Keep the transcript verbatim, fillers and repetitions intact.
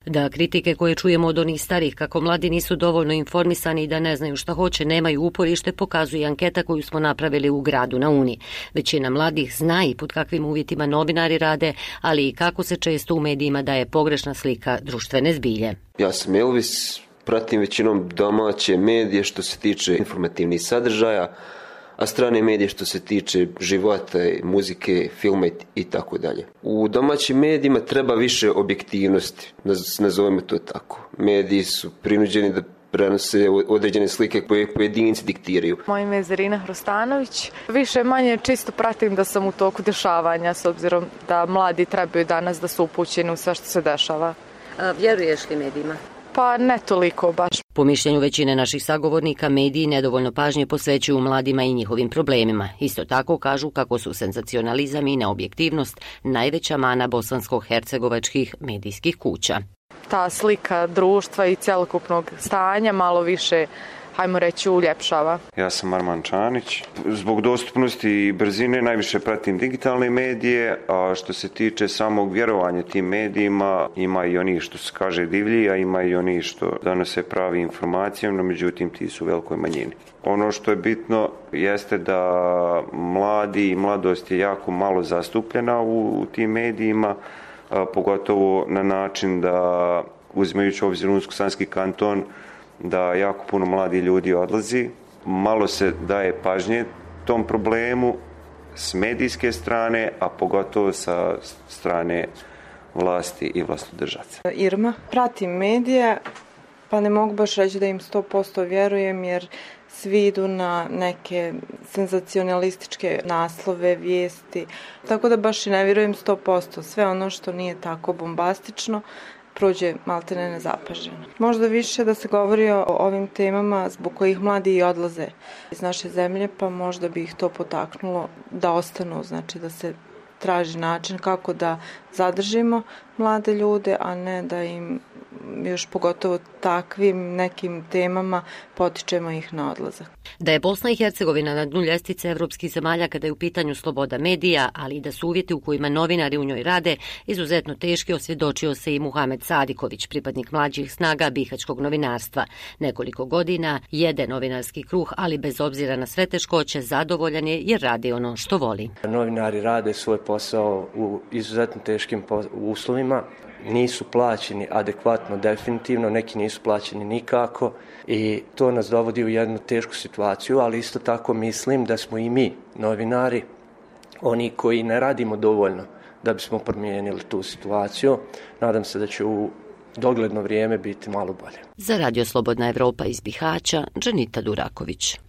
Da kritike koje čujemo od onih starih kako mladi nisu dovoljno informisani i da ne znaju šta hoće, nemaju uporište, pokazuje anketa koju smo napravili u gradu na Uni. Većina mladih zna i pod kakvim uvjetima novinari rade, ali i kako se često u medijima daje pogrešna slika društvene zbilje. Ja sam Elvis, pratim većinom domaće medije što se tiče informativnih sadržaja, a strane medije što se tiče života, muzike, filma i tako dalje. U domaćim medijima treba više objektivnosti, nazovemo to tako. Mediji su prinuđeni da prenose određene slike koje pojedinci diktiraju. Moje ime je Zerina Hrostanović. Više manje čisto pratim da sam u toku dešavanja, s obzirom da mladi trebaju danas da su upućeni u sve što se dešava. A vjeruješ li medijima? Pa ne toliko baš. Po mišljenju većine naših sagovornika, mediji nedovoljno pažnje posvećuju mladima i njihovim problemima. Isto tako kažu kako su senzacionalizam i neobjektivnost najveća mana bosansko-hercegovačkih medijskih kuća. Ta slika društva i cjelokupnog stanja malo više, hajmo reći, uljepšava. Ja sam Arman Čanić. Zbog dostupnosti i brzine najviše pratim digitalne medije, a što se tiče samog vjerovanja tim medijima, ima i oni što se kaže divlji, a ima i oni što donose pravi informacije, no međutim ti su u velikoj manjini. Ono što je bitno jeste da mladi i mladost je jako malo zastupljena u, u tim medijima, a, pogotovo na način da, uzimajući u obzir Unsko-Sanski kanton, da jako puno mladi ljudi odlazi. Malo se daje pažnje tom problemu s medijske strane, a pogotovo sa strane vlasti i vlastodržaca. Irma, pratim medije, pa ne mogu baš reći da im sto posto vjerujem, jer svi idu na neke senzacionalističke naslove, vijesti, tako da baš i ne vjerujem sto posto. Sve ono što nije tako bombastično prođe maltene nezapaženo. Možda više da se govori o ovim temama zbog kojih mladi i odlaze iz naše zemlje, pa možda bi ih to potaknulo da ostanu, znači da se traži način kako da zadržimo mlade ljude, a ne da im još pogotovo takvim nekim temama potičemo ih na odlazak. Da je Bosna i Hercegovina na dnu ljestvice evropskih zemalja kada je u pitanju sloboda medija, ali i da su uvjeti u kojima novinari u njoj rade izuzetno teški, osvjedočio se i Muhamed Sadiković, pripadnik mlađih snaga bihaćkog novinarstva. Nekoliko godina jede novinarski kruh, ali bez obzira na sve teškoće zadovoljan je jer radi ono što voli. Novinari rade svoj posao u izuzetno teškim uslovima. Nisu plaćeni adekvatno, definitivno, neki nisu plaćeni nikako i to nas dovodi u jednu tešku situaciju, ali isto tako mislim da smo i mi, novinari, oni koji ne radimo dovoljno da bismo promijenili tu situaciju. Nadam se da će u dogledno vrijeme biti malo bolje. Za Radio Slobodna Evropa iz Bihaća, Dženita Duraković.